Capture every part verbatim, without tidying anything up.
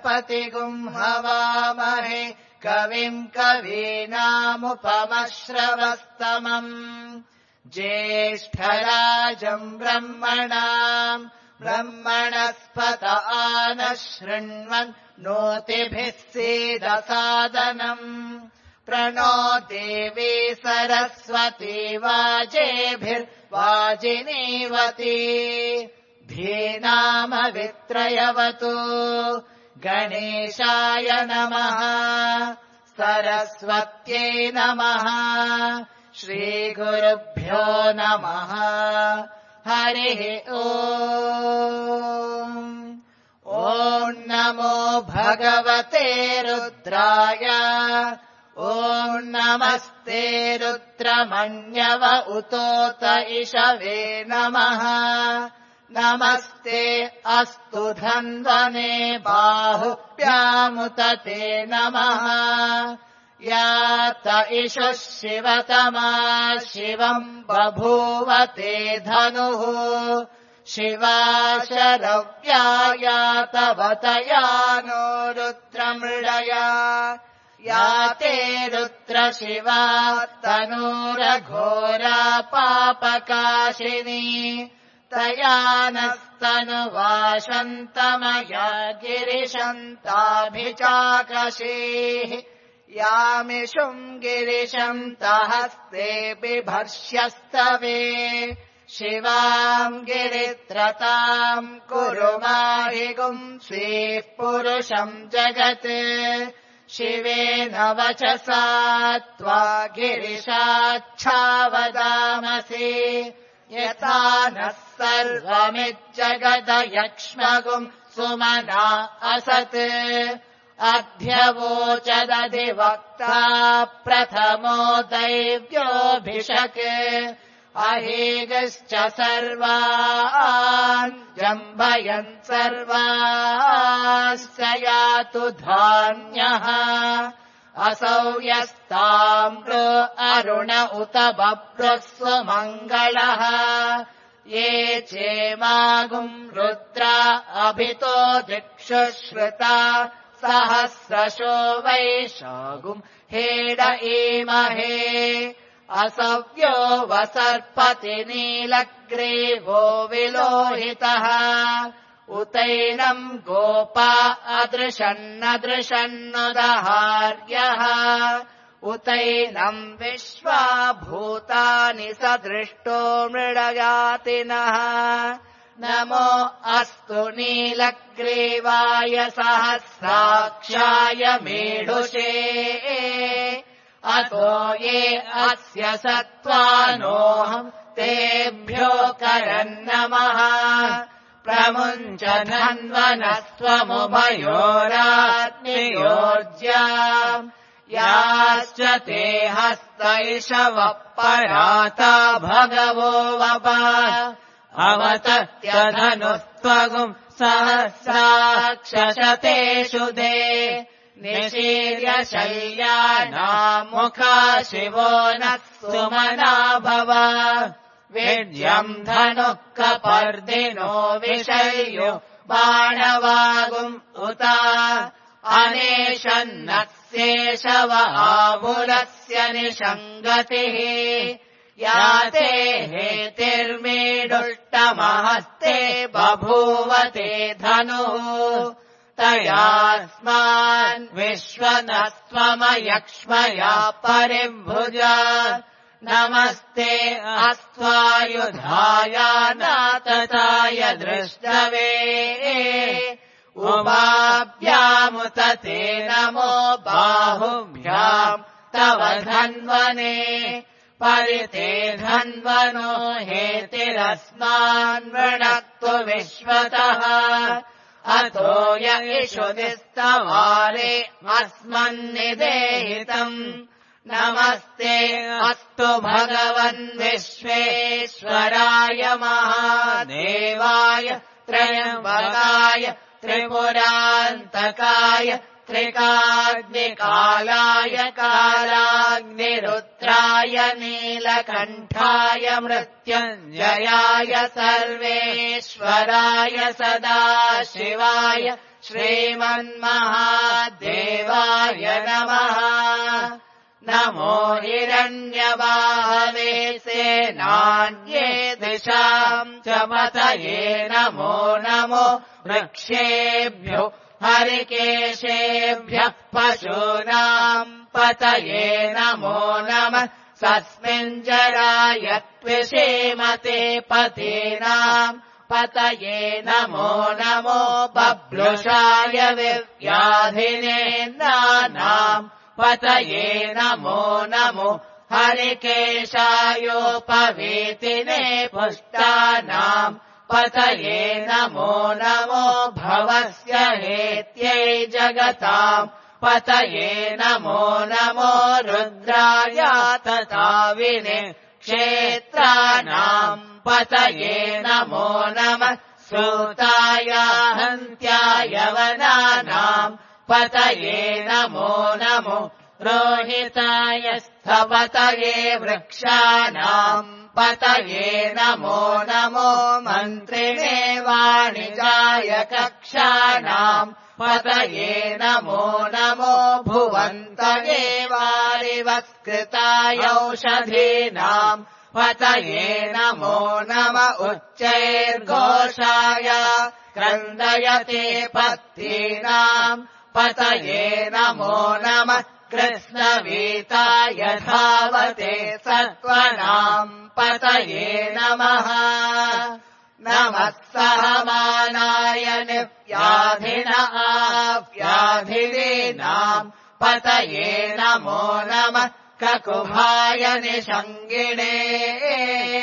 गणपतिगुम् हवामहे कविम् कवीनामुपमश्रवस्तमम् ज्येष्ठराजम् ब्रह्मणाम् ब्रह्मणस्पत आनः शृण्वन् नोतिभिः सीदसादनम् प्रणो देवी सरस्वती वाजेभिर्वाजिनीवती धीनामवित्रयवतु गणेशाय नमः सरस्वत्यै नमः श्रीगुरुभ्यो नमः हरिः ओम् ॐ नमो भगवते रुद्राय ॐ नमस्ते रुद्रमन्यव उतोत इषवे नमः नमस्ते अस्तु धन्वने बाहुभ्यामुत ते नमः यात इषुः शिवतमा शिवम् बभूव ते धनुः शिवा शरव्या यातवतया नो रुद्रमृळया या ते रुद्रशिवा तनूरघोरा पापकाशिनी तया नस्तनुवाशन्तमया गिरिशन्ताभिचाकशीः यामिषुम् गिरिशन्तहस्ते बिभर्ष्यस्तवे शिवाम् गिरित्रताम् कुरु माहि गुंसीः पुरुषम् जगत् शिवेन वचसा त्वा गिरिशाच्छावदामसि यथा नः सर्वमिज्जगदयक्ष्मगुम् सुमना असत् अध्यवोचदधिवक्ता प्रथमो दैव्योऽभिषक् अहेगश्च सर्वान् जम्भयन् सर्वाश्च यातु धान्यः असौ यस्ताम्रो अरुण उत बभ्रुः सुमङ्गलः ये चेमागुम् रुद्रा अभितो दिक्षु श्रुता सहस्रशो वैशागुम् हेड ईमहे असव्यो वसर्पति नीलग्रीवो विलोहितः उतैनम् गोपा अदृशन्नदृशन्नुदहार्यः उतैनम् विश्वा भूतानि सदृष्टो मृडयातिनः नमो अस्तु नीलग्रीवाय सहस्राक्षाय मेढुषे अतो ये अस्य सत्त्वानोऽहम् तेभ्यो करन्नमः प्रमुञ्च धन्वनस्त्वमुभयोरात्मयोर्ज्याम् याश्च ते हस्तैषवः पराता भगवो वप अवतत्यधनुस्त्वगुम् सहस्राक्षशतेषु दे निशीर्य शल्यानामुखा शिवो नः सुमना भव विद्यम् धनुः कपर्दिनो विषय्यो बाणवागुम् उत अनेशन्नस्येषव आमुलस्य निषङ्गतिः याते हेतिर्मीडुष्टमहस्ते बभूवते धनुः तयास्मान् विश्वनस्त्वमयक्ष्मया परिभुजा नमस्ते अस्त्वायुधाय नातताय दृष्टवे उभाभ्यामुत ते नमो बाहुभ्याम् तव धन्वने परिते धन्वनो हेतिरस्मान् वृणक्तु विश्वतः अतो य इषु निस्तवारे अस्मन्निदेहितम् नमस्ते अस्तु भगवन् विश्वेश्वराय महादेवाय त्र्यम्बकाय त्रिपुरान्तकाय त्रिकाग्निकालाय कालाग्निरुद्राय नीलकण्ठाय मृत्युञ्जयाय सर्वेश्वराय ईश्वराय सदा शिवाय श्रीमन्महादेवाय नमः। नमो हिरण्यबाहवे सेनान्ये दिशाम् च पतये नमो नमो वृक्षेभ्यो हरिकेशेभ्यः पशूनाम् पतये नमो नमः। सस्मिञ्जराय त्विषेमते पतीनाम् पतये नमो नमो बभ्रुषाय विव्याधिनेन्द्राणाम् पतये नमो नमो हरिकेशायोपवीतिने पुष्टानाम् पतये नमो नमो भवस्य हेत्यै जगताम् पतये नमो नमो रुद्राय तथाविने क्षेत्राणाम् पतये नमो नमः। सूताय हन्त्याय वनानाम् पतये नमो नमो रोहिताय स्थपतये वृक्षाणाम् पतये नमो नमो मन्त्रिणे वाणिजाय कक्षाणाम् पतये नमो नमो भुवन्तये वारिवत्कृताय औषधीनाम् पतये नमो नम उच्चैर्घोषाय क्रन्दयते पत्तीनाम् पतये नमो नमः। कृष्णवीताय धावते सत्त्वनाम् पतये नमः। नमः सहमानाय निव्याधिन आव्याधिनीनाम् पतये नमो नमः। ककुभाय निषङ्गिणे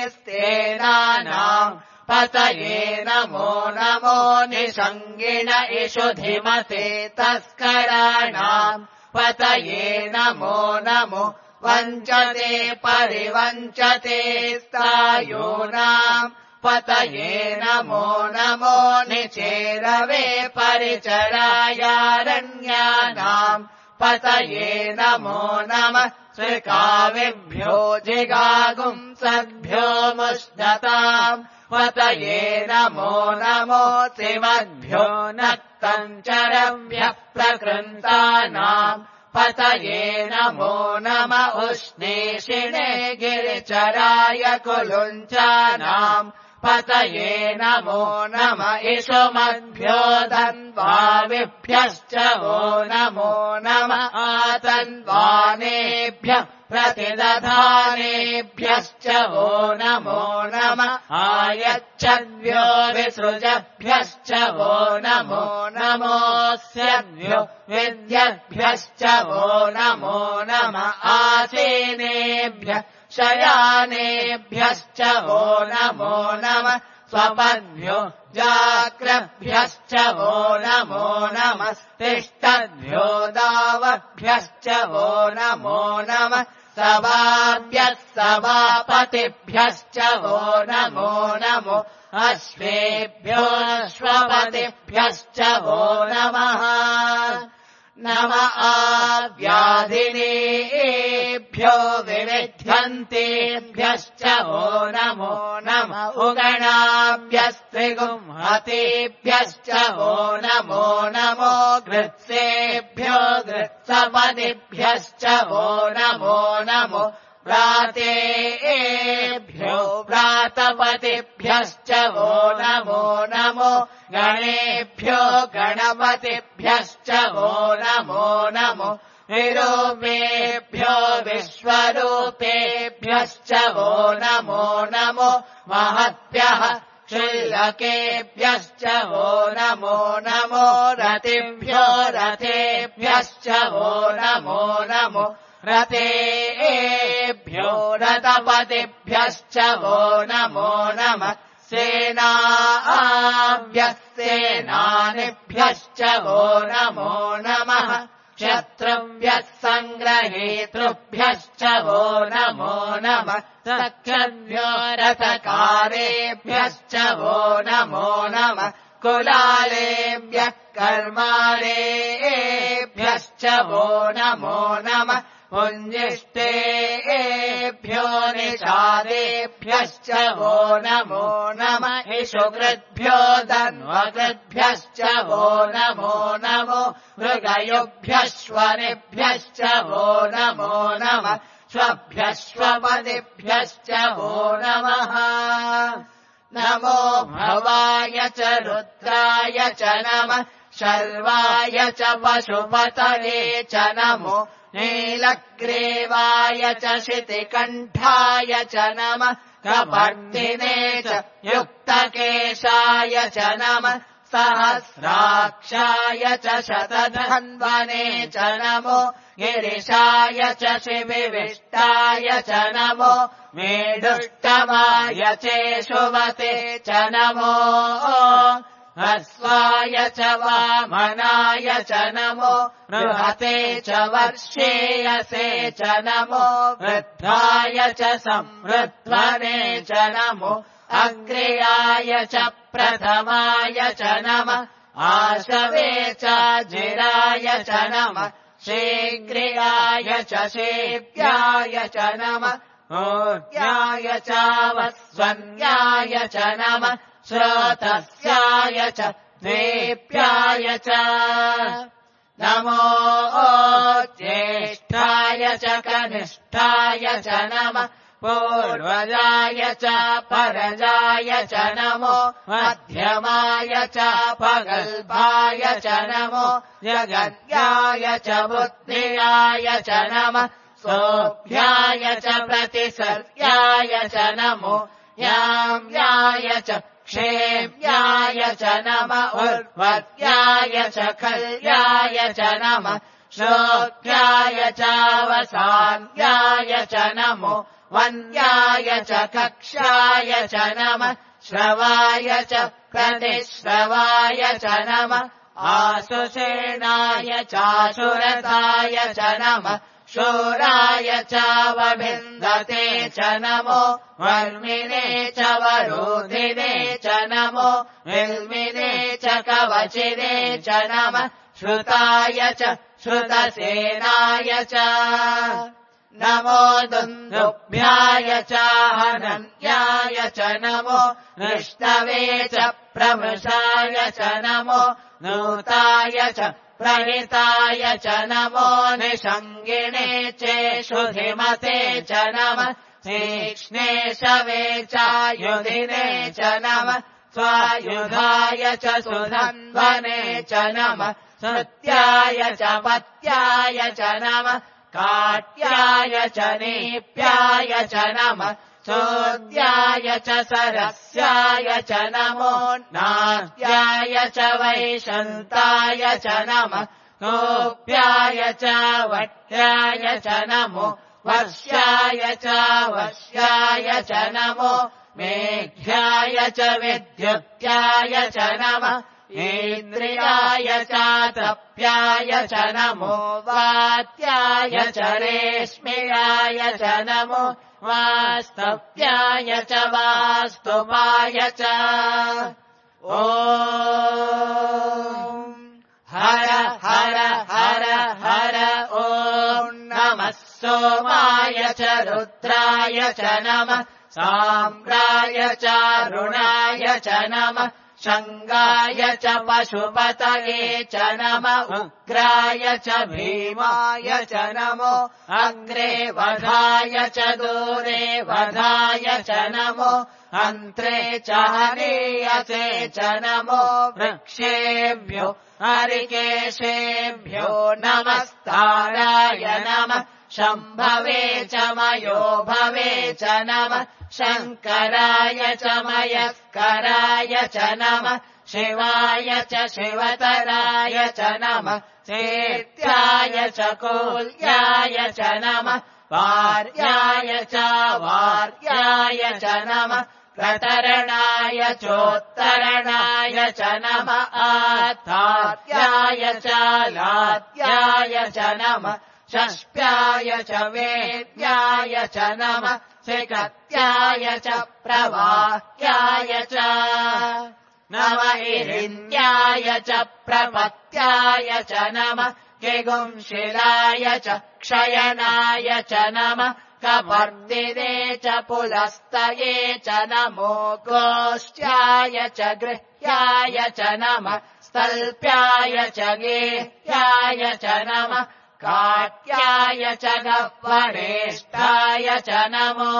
स्तेनानाम् पतये नमो नमो निषङ्गिण इषुधिमते तस्कराणाम् पतये नमो नमो वञ्चते परिवञ्चते स्थायूनाम् पतये नमो नमो निचेरवे परिचरायारण्यानाम् पतये नमो नमः। श्रीकाविभ्यो जिगागुंसद्भ्यो मुष्णताम् पतये नमो नमो त्रिमद्भ्यो नक्तञ्चरभ्यः प्रकृन्तानाम् पतये नमो नम उष्णीषिणे गिरिचराय कुलुञ्चानाम् पतये नमो नम इषुमद्भ्यो धन्वाविभ्यश्च वो नमो नम आतन्वानेभ्यः प्रतिदधानेभ्यश्च वो नमो नम आयच्छद्भ्यो विसृजभ्यश्च वो नमो नमोऽस्यभ्यो विद्यभ्यश्च वो नमो नम आसीनेभ्यः शयानेभ्यश्च वो नमो नमः। स्वपद्भ्यो जाग्रभ्यश्च वो नमो नमः। तिष्ठद्भ्यो दावभ्यश्च वो नमो नमः। सभाभ्यः सभापतिभ्यश्च वो नमो नमो अश्वेभ्यो अश्वपतिभ्यश्च वो नमः। नम आव्याधिनेभ्यो विविध्यन्तेभ्यश्च वो नमो नमः। उगणाभ्यस्त्रिगुंहतेभ्यश्च वो नमो नमो गृत्सेभ्यो गृत्सपतिभ्यश्च वो नमो नमो व्रातेभ्यो व्रातपतिभ्यश्च वो नमो नमो गणेभ्यो गणपतिभ्यश्च वो नमो नमो विरूपेभ्यो विश्वरूपेभ्यश्च वो नमो नमो महद्भ्यः क्षुल्लकेभ्यश्च वो नमो नमो रतिभ्यो रथेभ्यश्च वो नमो नमो रतेभ्यो रथपतिभ्यश्च वो नमो नमः। सेनाभ्यः सेनानिभ्यश्च वो नमो नमः। शत्रुभ्यः सङ्ग्रहेतृभ्यश्च वो नमो नमः। सख्यभ्यो रथकारेभ्यश्च वो नमो नमः। कुलालेभ्यः कर्मालेभ्यश्च वो नमो नमः। पुञ्जिष्टेभ्यो निषादेभ्यश्च वो नमो नमः इषुकृद्भ्यो धन्वकृद्भ्यश्च वो नमो नमो मृगयुभ्यश्वनिभ्यश्च वो नमो नमः श्वभ्यश्वपदिभ्यश्च वो नमः नमो भवाय च रुद्राय च नमः शर्वाय च पशुपतये च नमो नीलग्रीवाय च शितिकण्ठाय च नमः कपर्दिने च युक्तकेशाय च नमः सहस्राक्षाय च शतधन्वने च नमो गिरिशाय च शिविविष्टाय च नमो मेढुष्टमाय चेषुवते च नमो हस्वाय च वामनाय च नमो बृहते च वर्षेयसे च नमो वृद्धाय च संवृध्वने च नमो अग्र्याय च प्रथमाय च नमः आशवे च जिराय च नमः शीघ्रियाय च शेव्याय च नमः ऊर्ध्याय च वस्वन्याय च नमः श्रोतस्याय च द्वेप्याय च नमो ज्येष्ठाय च कनिष्ठाय च नमः पूर्वजाय च परजाय च नमो मध्यमाय च पगल्भाय च नमो जगद्याय च बुद्धियाय च नमः सोऽभ्याय च प्रतिसर्याय च नमो याम्याय च क्षेम्याय च नमः उर्वर्याय च खल्याय च नमः श्लोक्याय चावसान्याय च नमो वन्याय च कक्षाय च नमः श्रवाय च प्रतिश्रवाय च नमः आशुषेणाय चाशुरताय च नमः शूराय चावभिन्दते च नमो वर्मिने च वरोधिने च नमो विल्मिने च कवचिने च नमः श्रुताय च श्रुतसेनाय च नमो दुन्दुभ्याय च हनन्याय च नमो निष्टवे च प्रमृषाय च नमो नूताय च प्रहिताय च नमो निषङ्गिणे चेषुधिमते च नमः तीक्ष्णे शवे चायुधिने च नमः स्वायुधाय च सुधन्वने च नमः सत्याय च पत्याय च नमः काट्याय च नीप्याय च नमः चोद्याय च सरस्याय च नमो नाट्याय च वैशन्ताय च नमः गोप्याय च वट्याय च नमो वर्ष्याय च वश्याय च नमो मेघ्याय च विद्युत्याय च नमः इन्द्रियाय चातप्याय च नमो वात्याय च रेश्म्याय च नमो वास्तव्याय च वास्तुपाय च ॐ हर हर हर हर ॐ नमः सोमाय च रुद्राय च नमः साम्राय च रुणाय च नमः शङ्गाय च पशुपतये च नमः उग्राय च भीमाय च नमो अग्रे वधाय च दूरे वधाय च नमो अन्त्रे च हनीयसे च नमो वृक्षेभ्यो हरिकेशेभ्यो नमस्ताराय नमः शम्भवे च मयो भवे च नमः शङ्कराय च मयस्कराय च नमः शिवाय च शिवतराय च नमः चेत्याय च कोल्याय च नमः वार्याय च वार्याय च नमः प्रतरणाय चोत्तरणाय च नमः आतात्याय च लात्याय च नमः षष्प्याय च वेद्याय च नमः शिखत्याय च प्रवाह्याय च नमः इरिन्द्याय च प्रपत्याय च नमः किगुंशिलाय च क्षयनाय च नमः कपर्दिने च पुलस्तये च नमो गोष्ट्याय च गृह्याय च नमः स्तल्प्याय च गेह्याय च नमः काट्याय च गह्वरेष्ठाय च नमो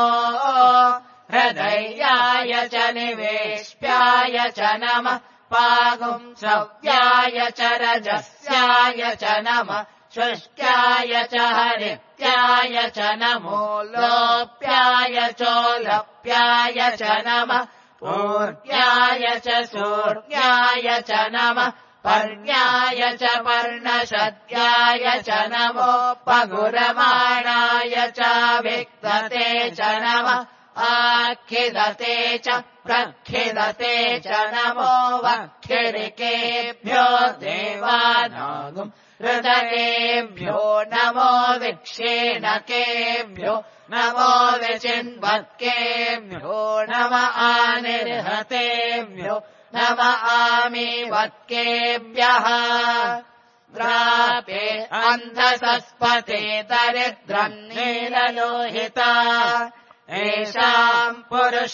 हृदयाय च निवेश्याय च नमः पागुंसव्याय च रजस्याय च नमः शुष्क्याय च हरित्याय च नमो लोप्याय चोलप्याय च नमः पूर्ण्याय च सूर्ण्याय च नमः पर्ण्याय च पर्णशद्याय च नमो पगुरमाणाय च विक्तते च नमः आखिदते च प्रखिदते च नमो वक्षिरिकेभ्यो देवानागुम् हृदयेभ्यो नमो विक्षेणकेभ्यो नमो विचिन्वत्केभ्यो नम आनिर्हतेभ्यो नम आमीवत्केभ्यः द्रापे अन्धसस्पते दरिद्रम् नीललोहिता एषाम् पुरुषाणामेषाम्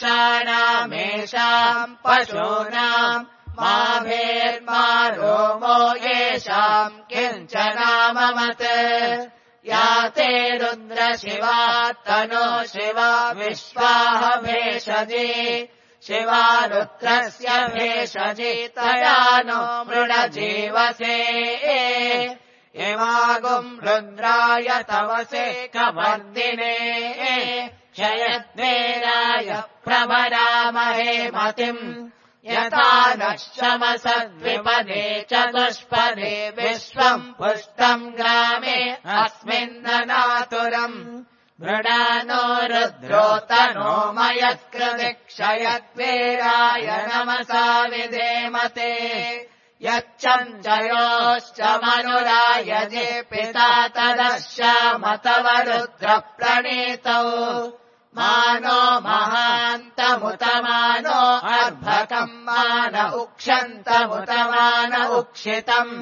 पशूनाम् मा भेर्मा रोमो येषाम् किञ्चनाममत् या ते रुद्रशिवा तनो शिवा विश्वाह भेषजे शिवा रुद्रस्य भेषजे तया नो मृडजीवसे इमागुम् रुद्राय तवसे कवर्दिने क्षयद्वेराय प्रभरामहे मतिम् यथा नः शमसद्विपदे चतुष्पदे विश्वम् पुष्टम् ग्रामे अस्मिन्ननातुरम् मृडानो रुद्रोतनो मयत्कृति क्षयद्वेराय नमसा विधेमते यच्चञ्चयोश्च मनुरायजे पिता तदश्यामतव रुद्रप्रणीतौ मानो महान्तमुतमानो अर्भकम् मान उक्षन्तमुतमान उक्षितम्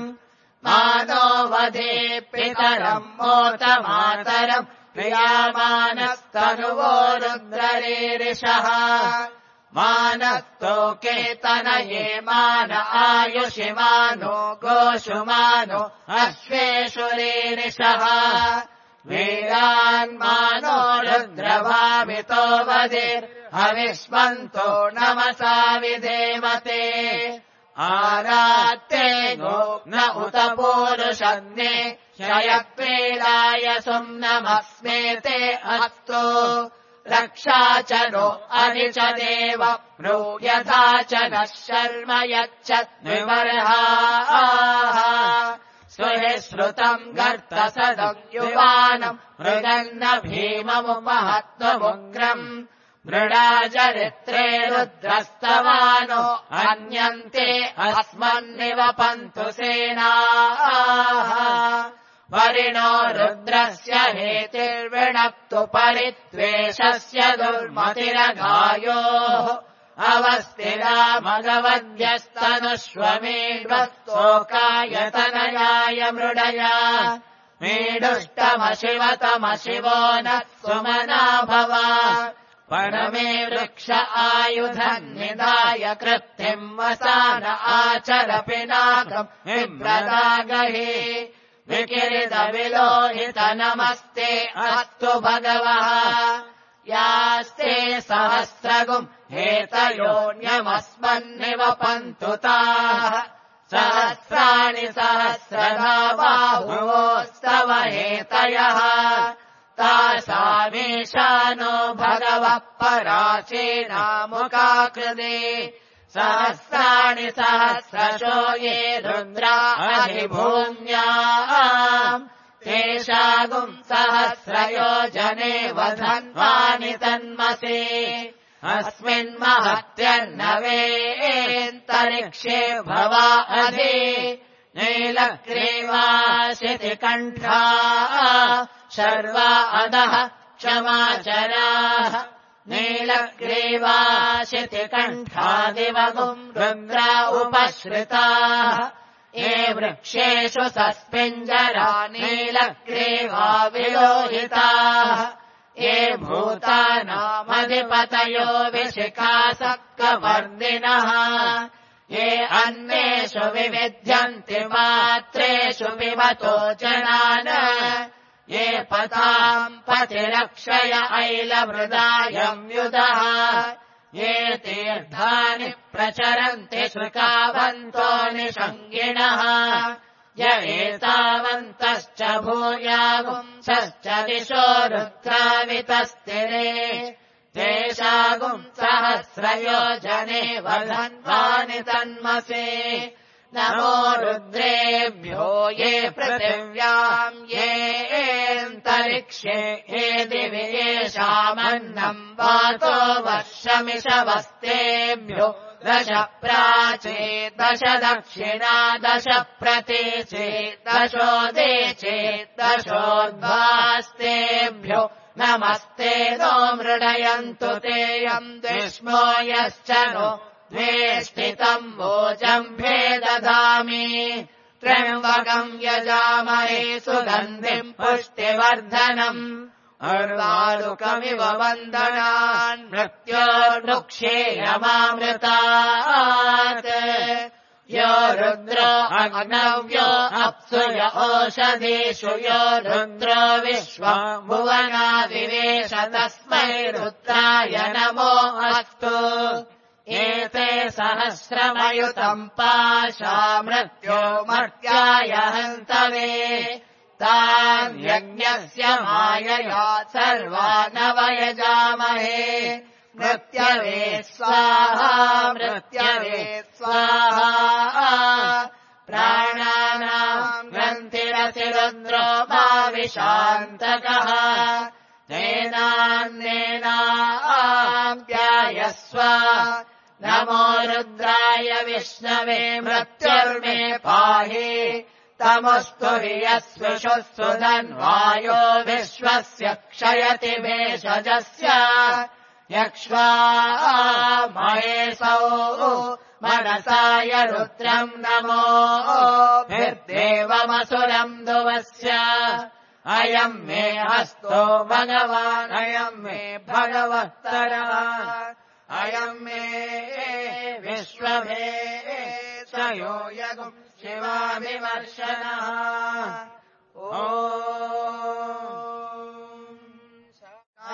मानो वधे पितरम् मोतमातरम् प्रियामानस्तनुवो रुद्ररीरिषः मानस्तोके तनये मान आयुषिमानो गोषुमानो अश्वेषु रीरिषः वीरान्मानो रुद्रभावितो वधिर्हविष्मन्तो नमसा विधेमते आरात्ते गो न उत पूरुषन्ने क्षयत्वेराय सुम्नमस्मेते अस्तु रक्षा च नो अधि च देव ब्रूयथा च नः शर्म यच्च विवर्हाः सुहि श्रुतम् गर्तसदम् युवानम् मृगन्न भीममुपहत्वमुग्रम् मृडाचरित्रे रुद्रस्तवानो अन्यन्ते अस्मन्निवपन्तु सेनाः वरिणो रुद्रस्य हेतिर्विणक्तु परित्वेषस्य दुर्मतिरगायोः अवस्थिरा मगवद्यस्तनुष्वमेढ्वस्तोकायतनयाय मृडया मेढुष्टमशिवतमशिवो नः सुमना भव परमे वृक्ष आयुधम् निधाय कृत्तिम् वसान आचर पिनाकम् विव्रतागहि विकिरितविलोहित नमस्ते अस्तु भगवः यास्ते सहस्रगुम् हेतयोऽन्यमस्मन्निवपन्तु ताः सहस्राणि सहस्रधा बाहुवोस्तव हेतयः तासामीशानो भगवः पराचीनामुकाकृते सहस्राणि सहस्रशो ये रुद्रा अधिभूम्याम् तेषागुम् सहस्रयोजने वधन्वानि तन्मसे अस्मिन्महत्यर्नवेन्तरिक्षे भवा अधि नीलग्रीवाशितिकण्ठा शर्वा अधः क्षमाचराः नीलग्रीवाशितिकण्ठादिवगुम् रुद्रा उपश्रिताः ये वृक्षेषु सस्मिञ्जरा नीलग्रीवा विलोहिताः ये भूतानामधिपतयो विशिखासक्तवर्धिनः ये अन्नेषु विविध्यन्ति मात्रेषु पिबतो जनान् ये पथाम् पतिरक्षय ऐलमृदायम् युधः ये तीर्थानि प्रचरन्ति श्रुकावन्तो निषङ्गिणः य एतावन्तश्च भूयागुंसश्च दिशो रुद्रावितस्तिरे तेषागुम् सहस्रयोजने वधन्वानि तन्मसे नमो रुद्रेभ्यो ये पृथिव्याम् येऽन्तरिक्षे ये दिवि येषामन्नम् वातो वर्षमिषवस्तेभ्यो दश प्राचे दश दक्षिणा दश प्रतीचे दशोदेचे दशोद्वास्तेभ्यो नमस्ते नो मृडयन्तु तेयम् द्विष्मो यश्च नो द्वेष्टितम् वोजम्भे ददामि त्र्यम्बकम् यजामहे सुगन्धिम् पुष्टिवर्धनम् अर्वारुकमिव वन्दनान् मृत्योर्मुक्षेयमामृतात् यो रुद्रो अग्नव्यो अप्सु य ओषधीषु यो रुद्रो विश्वम् भुवनादिवेश तस्मै रुद्राय नमो अस्तु एते सहस्रमयुतम् पाशा मृत्यो मर्त्याय हन्तवे तान् यज्ञस्य मायया सर्वानवयजामहे मृत्यवे स्वाहा मृत्यवे स्वाहा प्राणानाम् ग्रन्थिरसि रुद्रो भाविशान्तकः नेनान्नेनाप्यायस्व नमो रुद्राय विष्णवे मृत्युर्मे पाहि तमस्तु यस्विषुः सुधन्वायो विश्वस्य क्षयति भेषजस्य यक्ष्वा महेशौ मनसाय रुद्रम् नमो भिर्देवमसुरम् दुवस्य अयम् मे हस्तो भगवान् अयम् मे भगवत्तरः अयम् मे विश्वमे शयो यगुम् शिवाभिवर्षणः ॐ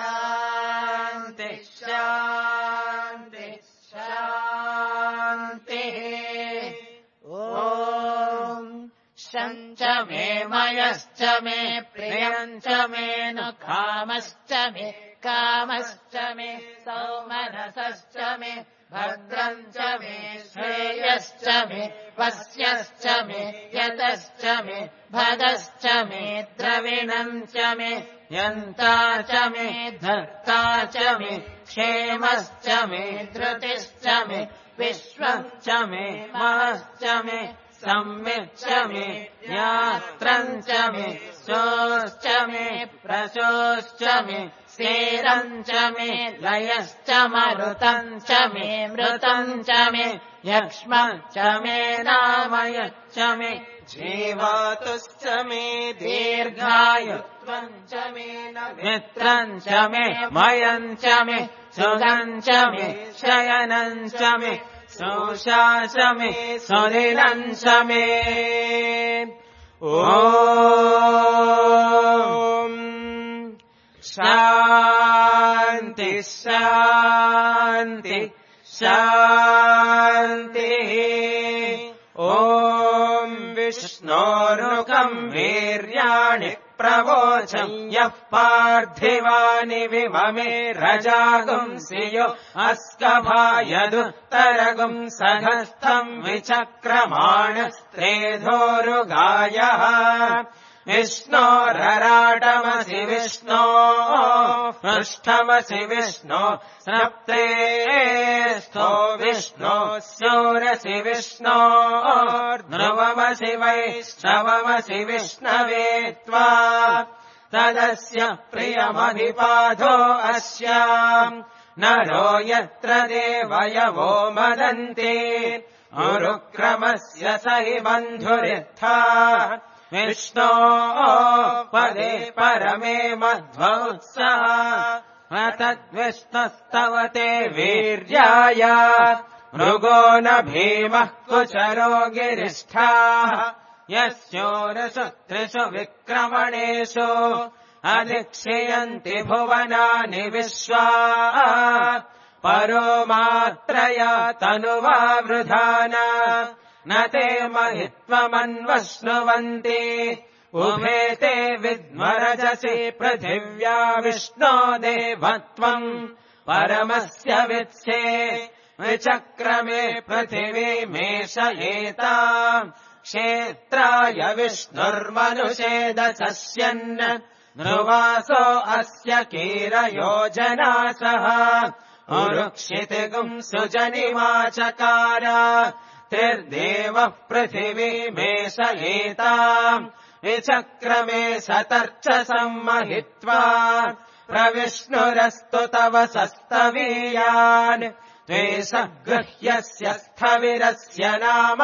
शान्ति शान्ति शान्तिः ॐ शञ्च मे मयश्च मे प्रियञ्च मे नु कामश्च मे कामश्च मे सौमनसश्च मे भद्रम् च मे श्रेयश्च मे वस्यश्च मे यतश्च मे भदश्च मे द्रविणम् च मे यन्ता च मे धर्ता च मे क्षेमश्च मे धृतिश्च मे विश्वम् च मे महश्च मे सम्मिच्च मे यात्रम् च मे शोश्च मे प्रशोश्च मे सेरम् च मे लयश्च मरुतम् च मे मृतम् च मे यक्ष्मम् च मे नामयश्च मे जीवातुश्च मे दीर्घायुत्वम् च मे मित्रम् च मे मयम् च मे सुगम् च मे शयनम् च मे सोषा च मे सुदिनम् च मे ॐ शान्ति शान्ति शान्तिः ॐ विष्णोरुकम् वीर्याणि प्रवोचम् यः पार्थिवानि विममे रजागुंसियो अस्कभायदुत्तरगुम् सघस्थम् विचक्रमाणस्त्रेधोरुगायः विष्णोरराटमसि विष्णो पृष्ठमसि विष्णो स्रप्ते स्थो विष्णो स्योरसि विष्णो ध्रुवमसि वैष्णवमसि विष्णवे त्वा तदस्य प्रियमधिपाधो अस्याम् नरो यत्र देवयवो मदन्ति उरुक्रमस्य स हि बन्धुरित्था विष्णो पदे परमे मध्वोत्सः तद्विष्णस्तव ते वीर्याय मृगो न भीमः कुचरो गिरिष्ठाः यस्योरसु त्रिषु विक्रमणेषु अधिक्षयन्ति भुवनानि विश्वा परो मात्रया तनुवा वृधाना न ते महित्वमन्वश्नुवन्ति उभे ते विद्मरजसि पृथिव्या विष्णो देवत्वम् परमस्य वित्से विचक्रमे पृथिवीमेषयेताम् क्षेत्राय विष्णुर्मनुषेदसस्यन् ध्रुवासो अस्य कीरयोजनासः उरुक्षितिगुम् सुजनिमाचकार त्रिर्देवः पृथिवीमेषयेताम् विचक्रमे सतर्च सम्महित्वा प्रविष्णुरस्तु तव सस्तवीयान् त्वेषः गृह्यस्य स्थविरस्य नाम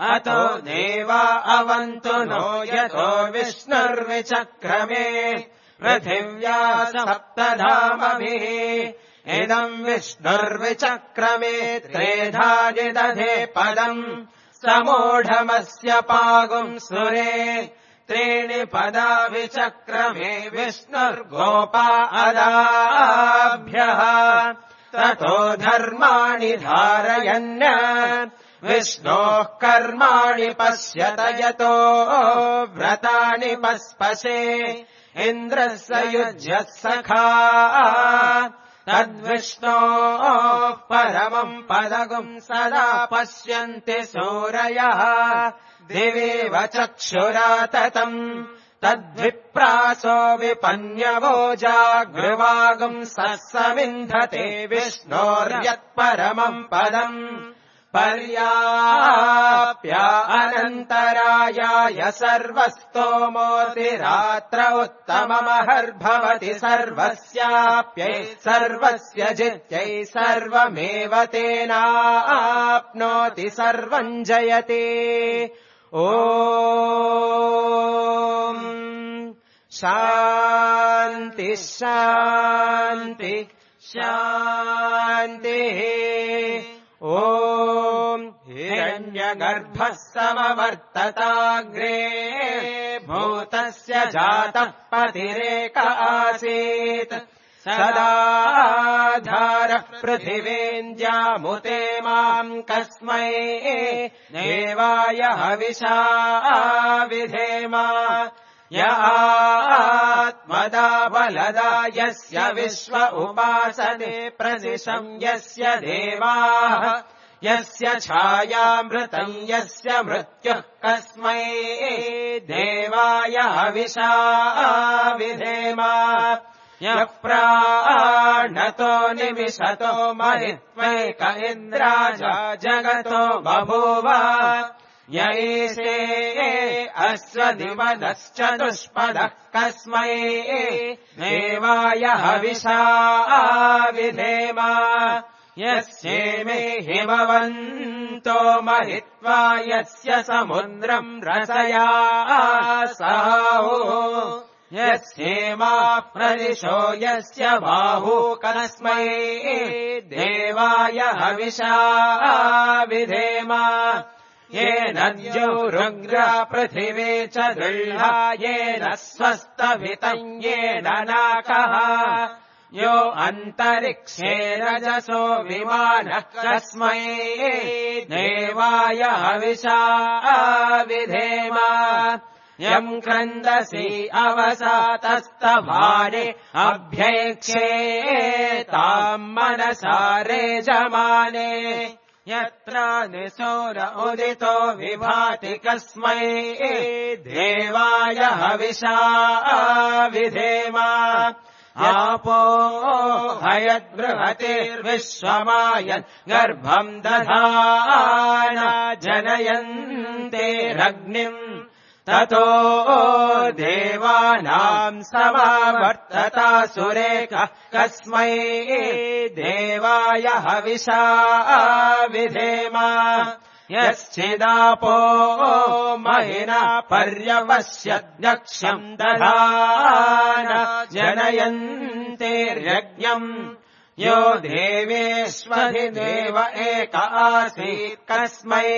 अतो देवा अवन्तु नो यतो विष्णुर्विचक्रमे पृथिव्या सप्तधामभिः इदम् विष्णुर्विचक्रमे त्रेधानिदधे पदम् समूढमस्य पागुम् सुरे त्रीणि पदा विचक्रमे विष्णुर्गोपा अदाभ्यः ततो धर्माणि धारयन् विष्णोः कर्माणि पश्यत यतो व्रतानि पस्पशे इन्द्रः स युज्यः सखा तद्विष्णोः परमम् पदगुम् सदा पश्यन्ति सूरयः दिवेव चक्षुरा ततम् तद्विप्रासो विपन्यवो जागृवागुम् सस्समिन्धते विष्णोर्यत्परमम् पदम् पर्याप्य अनन्तरायाय सर्वस्तोमोऽतिरात्र उत्तममहर्भवति सर्वस्याप्यै सर्वस्य जित्यै सर्वमेव तेनाप्नोति सर्वम् जयते ॐ शान्ति शान्ति शान्तिः ॐ हिरण्यगर्भः समवर्तताग्रे भूतस्य जातः पतिरेक आसीत् सदाधारः पृथिवीन्द्यामुते माम् कस्मै देवाय हविषा विधेम य आत्मदा बलदा यस्य विश्व उपासने प्रदिशम् यस्य देवाः यस्य छायामृतम् यस्य मृत्युः कस्मै देवाय हविषा विधेम यः प्राणतो निमिषतो महित्वैक इन्द्राजा जगतो बभूव यैषे अश्वदिवदश्चतुष्पदः कस्मै देवाय हविषा विधेम यस्येमे हिमवन्तो महित्वा यस्य समुद्रम् रसया साहो यस्येमाः प्रदिशो यस्य बाहू कस्मै देवाय हविषा विधेम येन द्यौरुग्रा पृथिवी च गृह्णा येन स्वस्तभितम् येन नाकः यो अन्तरिक्षे रजसो विमानः कस्मै देवाय हविषा विधेम यम् क्रन्दसि अवसातस्तभारे अभ्यैक्षे ताम् मनसा रेजमाने यत्र निसौर उदितो विभाति कस्मै देवाय हविषा विधेम आपो हयद्बृहतिर्विश्वमायन् गर्भम् दधाना जनयन्तेरग्निम् ततो देवानाम् समावर्ततासुरेकः कस्मै देवाय हविषा विधेम यश्चिदापो महिना पर्यवस्यद्यक्षम् दधान जनयन्तेर्यज्ञम् यो देवेष्वधिदेव एक आसीत् कस्मै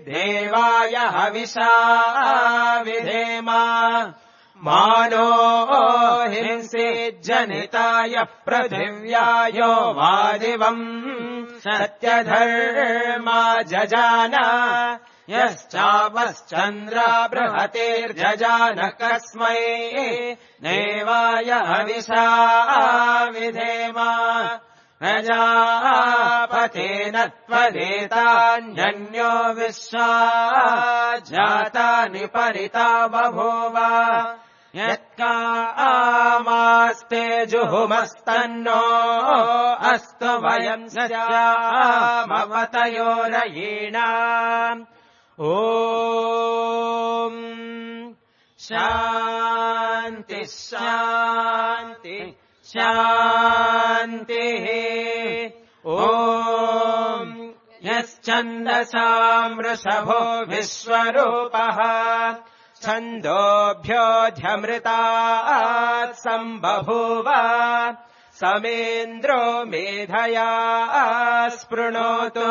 देवाय हविषा विधेम मानो हिंसेज्जनिताय पृथिव्यायो वादिवम् सत्यधर्मा जजान यश्चापश्चन्द्रा बृहतेर्जजान कस्मै देवाय हविषा विधेम प्रजापतेन त्वदेतान्यन्यो विश्वा जातानि परिता बभूव यत्कामास्ते जुहुमस्तन्नो अस्तु वयम् स्यामवतयोरयीणाम् ॐ शान्ति शान्ति शान्तिः ॐ यश्चन्दसाम् वृषभो विश्वरूपः छन्दोभ्योऽध्यमृतात् सम्बभूव समेन्द्रो मेधया स्पृणोतु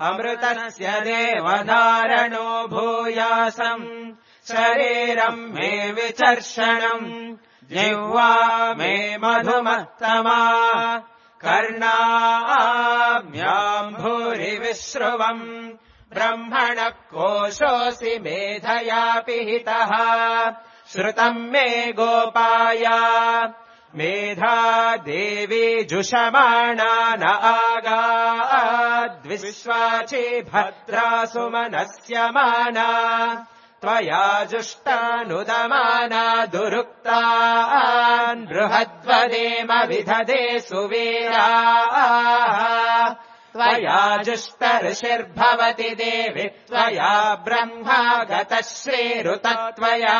अमृतस्य देवधारणो भूयासम् शरीरम् मे विचर्षणम् जिह्वा मे मधुमत्तमा कर्णाभ्याम् भूरि विश्रुवम् ब्रह्मणः कोशोऽसि मेधया पिहितः श्रुतम् मे गोपाय मेधा देवी जुषमाणा न आगाद्विश्वाची भद्रा सुमनस्यमाना त्वया जुष्टानुदमाना दुरुक्तान् बृहद्वदेम विदधे सुवीराः त्वया जुष्टऋषिर्भवति देवि त्वया ब्रह्मा गतः श्रीरुतत्वया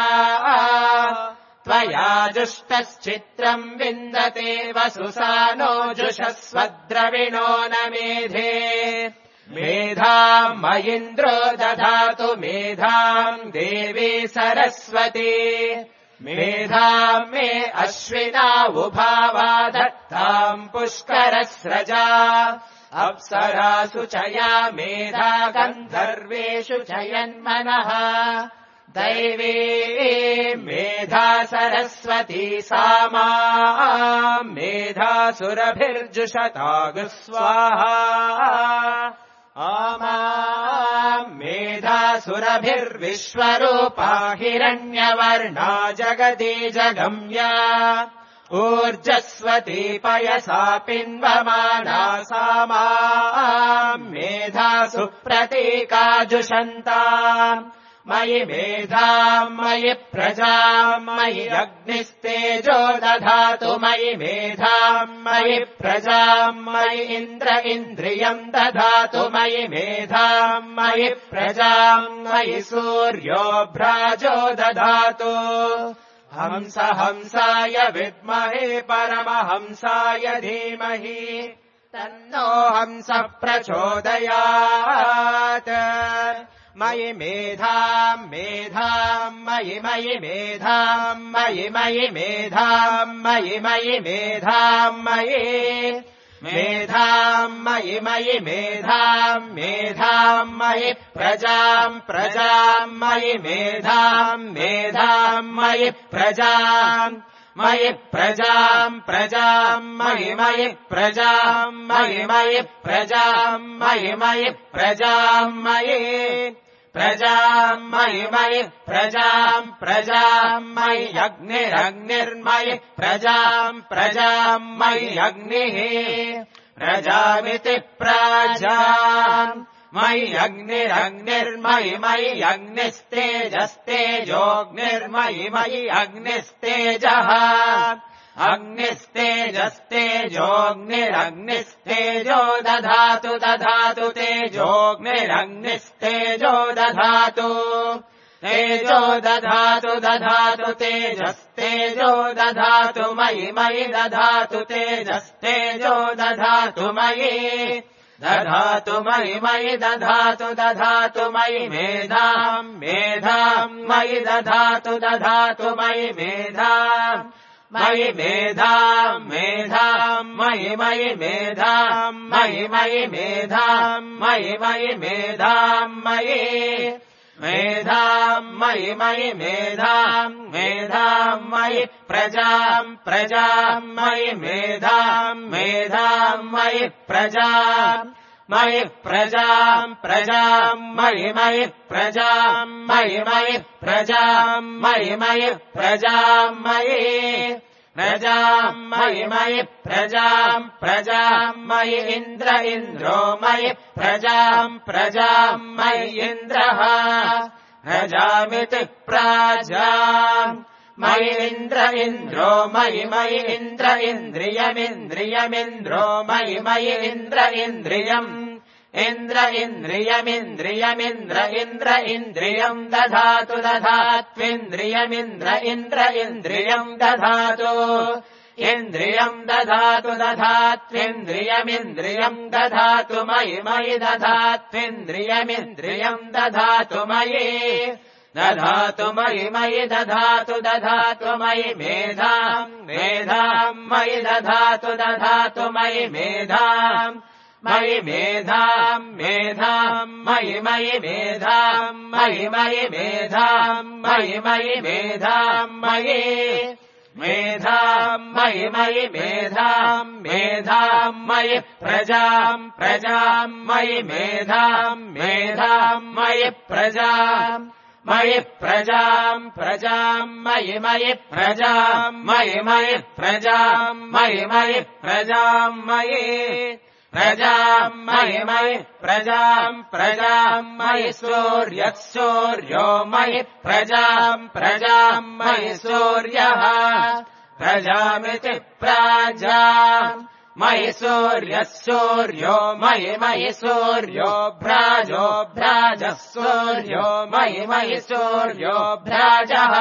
त्वया जुष्टश्चित्रम् विन्दते वसुसानो जुषस्वद्रविणो न मेधे मेधाम् मयिन्द्रो दधातु मेधाम् देवी सरस्वती मेधाम् मे अश्विना उभावा दत्ताम् पुष्करस्रजा अप्सरासु च या मेधा गन्धर्वेषु च यन्मनः दैवी मेधा सरस्वती सामा मेधासुरभिर्जुषतागु स्वाहा आमा मेधासुरभिर्विश्वरूपा हिरण्यवर्णा जगति जगम्या ऊर्जस्वती पयसा पिन्वमाना सामा मेधासु प्रतीकाजुषन्ताम् मयि मेधाम् मयि प्रजाम् मयि अग्निस्तेजो दधातु मयि मेधाम् मयि प्रजाम् मयि इन्द्र इन्द्रियम् दधातु मयि मेधाम् मयि प्रजाम् मयि सूर्यो भ्राजो दधातु हंस हंसाय विद्महे परमहंसाय धीमहि तन्नो हंसः प्रचोदयात् मयि मेधाम् मेधाम् मयि मयि मेधाम् मयि मयि मेधाम् मयि मयि मेधाम् मयि मेधाम् मयि मयि मेधाम् मेधाम् मयि प्रजाम् प्रजाम् मयि मेधाम् मेधाम् मयि प्रजाम् मयि प्रजाम् प्रजाम् मयि मयि प्रजाम् मयि मयि प्रजाम् मयि मयि प्रजाम् मयि प्रजाम् मयि मयि प्रजाम् प्रजाम् मयि अग्निरग्निर्मयि प्रजाम् प्रजाम् मयि अग्निः प्रजामिति प्राजाम् मयि अग्निरग्निर्मयि मयि अग्निस्तेजस्तेजोऽग्निर्मयि मयि अग्निस्तेजः अग्निस्तेजस्तेजोऽग्निरग्निस्तेजो दधातु दधातु तेजोऽग्निरग्निस्तेजो दधातु तेजो दधातु दधातु तेजस्तेजो दधातु मयि मयि दधातु तेजस्तेजो दधातु मयि दधातु मयि मयि दधातु दधातु मयि मेधाम् मेधाम् मयि दधातु दधातु मयि मेधाम् मयि मेधाम् मेधाम् मयि मयि मेधाम् मयि मयि मेधाम् मयि मयि मेधाम् मयि मेधाम् मयि मयि मेधाम् मेधाम् मयि प्रजाम् प्रजाम् मयि मेधाम् मेधाम् मयि प्रजाम् मयि प्रजाम् प्रजाम् मयि मयि प्रजाम् मयि मयि प्रजाम् मयि मयि प्रजाम् मयि प्रजाम् मयि मयि प्रजाम् प्रजाम् मयि इन्द्र इन्द्रो मयि प्रजाम् प्रजाम् मयि इन्द्रः प्रजामिति प्राजाम् मयि इन्द्र इन्द्रो मयि मयि इन्द्र इन्द्रियमिन्द्रियमिन्द्रियमिन्द्रो मयि मयि इन्द्र इन्द्रियम् इन्द्र इन्द्रियमिन्द्रियमिन्द्र इन्द्र इन्द्रियम् दधातु दधात्विन्द्रियमिन्द्र इन्द्र इन्द्रियम् दधातु इन्द्रियम् दधातु दधात्विन्द्रियमिन्द्रियम् दधातु मयि मयि दधात्विन्द्रियमिन्द्रियम् दधातु मयि दधातु मयि मयि दधातु दधातु मयि मेधाम् मेधाम् मयि दधातु दधातु मयि मेधाम् मयि मेधाम् मेधाम् मयि मयि मेधाम् मयि मयि मेधाम् मयि मयि मेधाम् मयि मेधाम् मयि मयि मेधाम् मेधाम् मयि प्रजाम् प्रजाम् मयि मेधाम् मेधाम् मयि प्रजाम् मयि प्रजाम् प्रजाम् मयि मयि प्रजाम् मयि मयि प्रजाम् मयि मयि प्रजाम् मयि प्रजाम् मयि मयि प्रजाम् प्रजाम् मयि सूर्यः सूर्यो मयि प्रजाम् प्रजाम् मयि सूर्यः प्रजामिति प्राजाम् मयि सूर्यः सूर्यो मयि मयि सूर्यो भ्राजो भ्राजः सूर्यो मयि मयि सूर्यो भ्राजः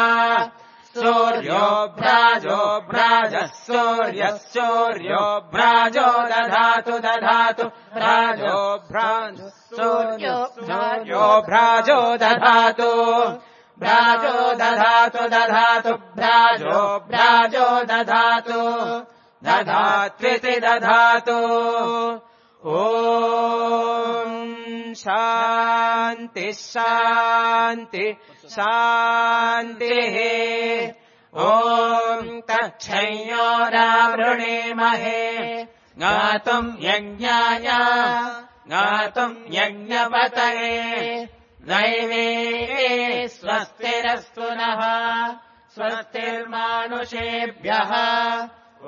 सूर्यो भ्राजो भ्राजः सूर्यः सूर्यो भ्राजो दधातु दधातु भ्राजो भ्राजो सूर्यो सूर्यो भ्राजो दधातु भ्राजो दधातु दधातु भ्राजो भ्राजो दधातु दधात्विति दधातु ॐ शान्ति शान्ति शान्तिः ॐ तच्छयोरावृणीमहे गातुम् यज्ञाय गातुम् यज्ञपतये दैवे स्वस्तिरस्तु नः स्वस्तिर्मानुषेभ्यः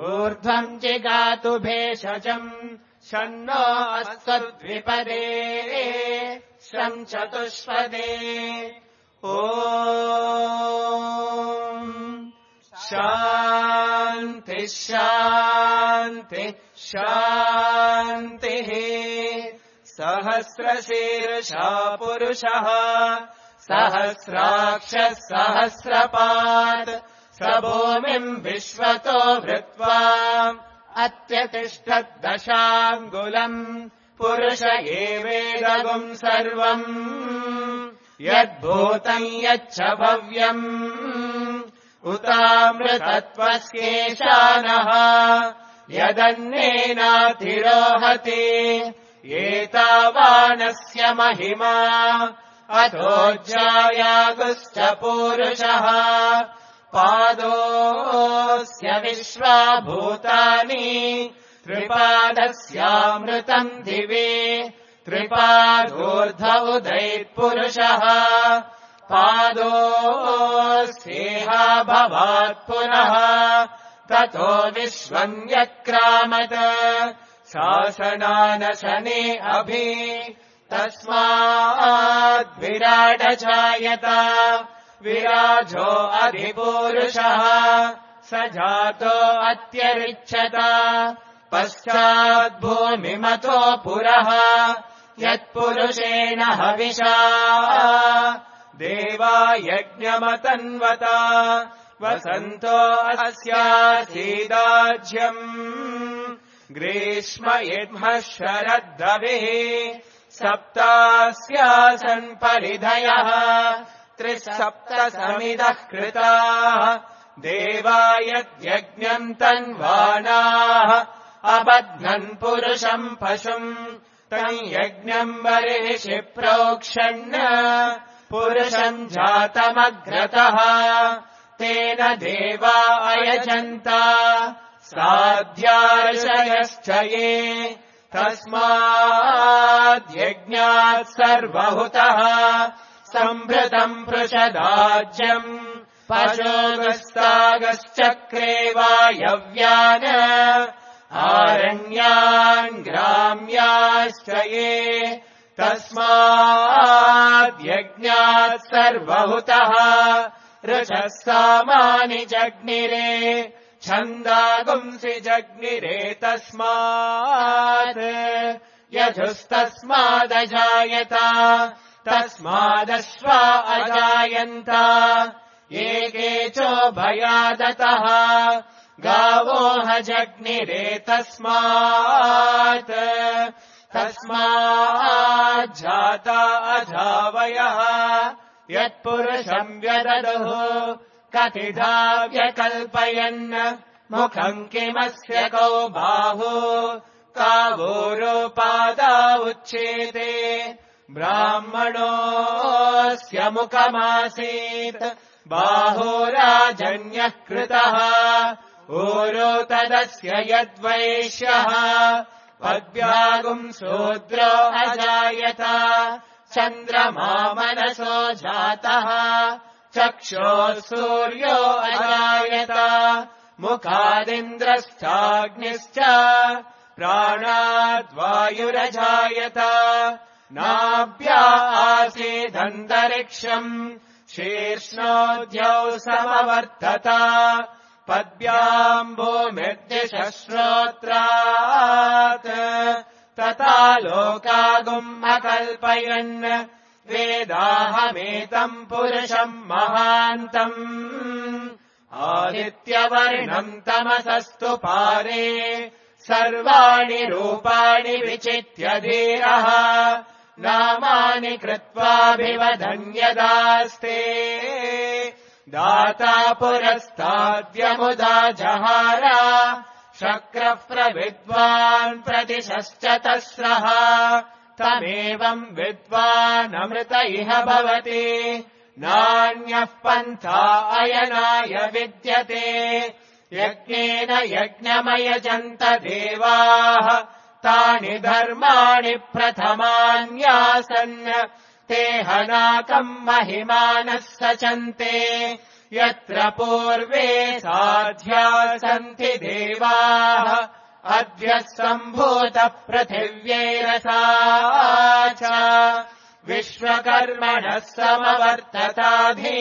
ऊर्ध्वम् जिगातु भेषजम् शन्नो अस्त्वद्विपदे शं चतुष्पदे ॐ शान्ति शान्ति शान्तिः सहस्रशीर्षा पुरुषः सहस्राक्षः सहस्रपात् स भूमिम् विश्वतो भृत्वा अत्यतिष्ठद्दशाङ्गुलम् पुरुष एवेदगुम् सर्वम् यद्भूतम् यच्च भव्यम् उतामृतत्वस्येषानः यदन्नेनातिरोहति एतावानस्य महिमा अथोज्जायागुश्च पूरुषः पादोऽस्य विश्वाभूतानि त्रिपादस्यामृतम् दिवे त्रिपादोर्ध उदैत्पुरुषः पादोऽस्येहा भवात् पुनः ततो विश्वम् यक्रामत शासनानशने अभि तस्माद्विराडजायत विराजो अधिपूरुषः स जातो अत्यरिच्छत पश्चाद्भूमिमतो पुरः यत्पुरुषेण हविषा देवा यज्ञमतन्वता वसन्तो अस्यासीदाज्यम् ग्रीष्म इद्मः शरद्दविः सप्तास्यासन् परिधयः त्रिसप्त समिदः कृताः देवा यद्यज्ञम् तन्वानाः अबध्नन् पुरुषम् पशुम् तम् यज्ञम् बर्हिषि प्रोक्षन् पुरुषम् जातमग्रतः तेन देवा अयजन्ता साध्यार्षयश्च ये तस्माद्यज्ञात् सर्वहुतः सम्भृतम् पृषदाज्यम् पशोगस्तागश्चक्रे वायव्यान् आरण्यान् ग्राम्याश्च ये तस्माद्यज्ञात् सर्वहुतः ऋचः सामानि जग्निरे छन्दागुंसि जग्निरे तस्मात् यजुस्तस्मादजायत तस्मादश्वा अजायन्त एके चोभयादतः गावोह जग्निरे तस्मात् तस्माज्जाता अजावयः यत्पुरुषम् व्यददुः कतिधा व्यकल्पयन् मुखम् किमस्य कौ बाहु कावोरोपादा उच्येते ब्राह्मणोऽस्य मुखमासीत् बाहोराजन्यः कृतः ऊरो तदस्य यद्वैश्यः पद्भ्यागुम् शूद्रो अजायत चन्द्रमा मनसो जातः चक्षोः सूर्यो अजायत मुखादिन्द्रश्चाग्निश्च प्राणाद्वायुरजायत नाभ्या आसीदन्तरिक्षम् शीर्ष्णोद्यौ समवर्तत पद्भ्याम् भूमिर्दिशश्रोत्रात् तथा लोकागुम् अकल्पयन् वेदाहमेतम् पुरुषम् महान्तम् आदित्यवर्णम् तमसस्तु पारे सर्वाणि रूपाणि विचित्य धीरः नामानि कृत्वाभिवदन्यदास्ते दाता पुरस्ताद्यमुदा जहार शक्रः प्रविद्वान् प्रतिशश्च तस्रः तमेवम् विद्वानमृत इह भवति नान्यः पन्था अयनाय विद्यते यज्ञेन यज्ञमयजन्त देवाः तानि धर्माणि प्रथमान्यासन् ते हनाकम् महिमानः सचन्ते यत्र पूर्वे साध्या सन्ति देवाः अद्य सम्भूतः पृथिव्यैरसा च विश्वकर्मणः समवर्तताधि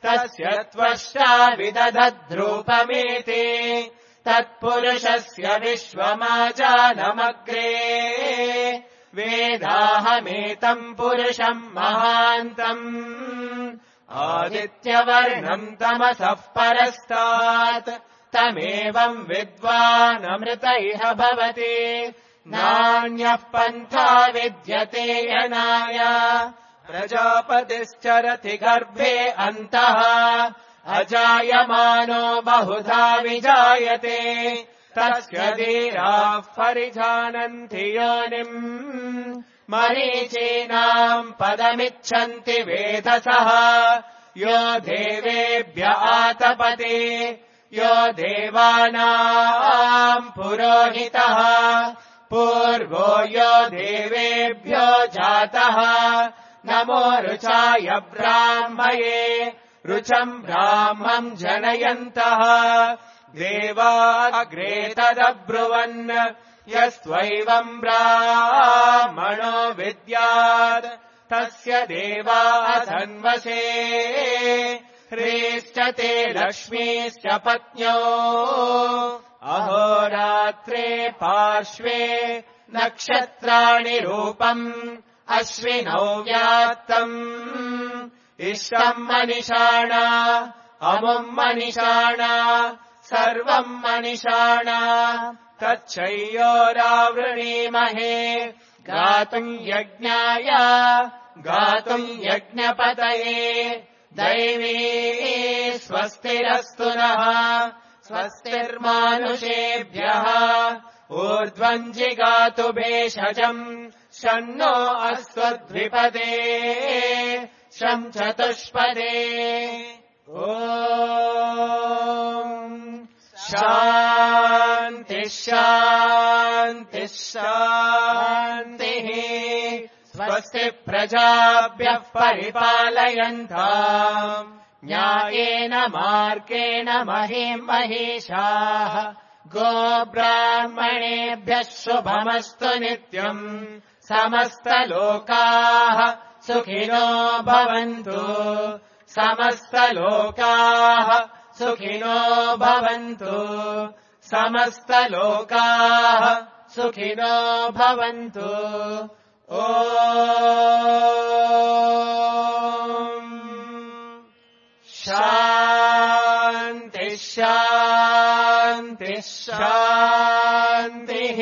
तस्य त्वष्टा विदधद्रूपमेति तत्पुरुषस्य विश्वमाजानमग्रे वेदाहमेतम् पुरुषम् महान्तम् आदित्यवर्णम् तमसः परस्तात् तमेवम् विद्वानमृत इह भवति नान्यः पन्था विद्यते यनाय प्रजापतिश्चरति गर्भे अन्तः अजायमानो बहुधा विजायते तस्य धीराः परिजानन्ति योनिम् मरीचीनाम् पदमिच्छन्ति वेधसः यो देवेभ्य आतपते यो देवानाम् पुरोहितः पूर्वो यो देवेभ्यो जातः नमो रुचाय ब्राह्मये रुचम् ब्राह्मम् जनयन्तः देवाग्रे तदब्रुवन् यस्त्वैवम् ब्राह्मणो विद्यात् तस्य देवा धन्वसे ह्रीश्च ते लक्ष्मीश्च पत्न्यो अहोरात्रे पार्श्वे नक्षत्राणि रूपम् अश्विनौ व्यात्तम् इष्टम् मनिषाण अमुम् मनिषाण सर्वम् मनिषाण तच्छय्योरावृणीमहे गातुम् यज्ञाय गातुम् यज्ञपतये दैवी स्वस्तिरस्तु नः स्वस्तिर्मानुषेभ्यः ऊर्ध्वम् जिगातु भेषजम् शन्नो अस्त्वद्विपदे शम् चतुष्पदे ॐ शान्तिः शान्तिः शान्तिः स्वस्ति प्रजाभ्यः परिपालयन्ताम् न्यायेन मार्गेण महीम् महिषाः गोब्राह्मणेभ्यः शुभमस्तु नित्यम् समस्तलोकाः सुखिनो भवन्तु समस्तलोकाः सुखिनो भवन्तु समस्तलोकाः सुखिनो भवन्तु ॐ शान्तिः शान्तिः शान्तिः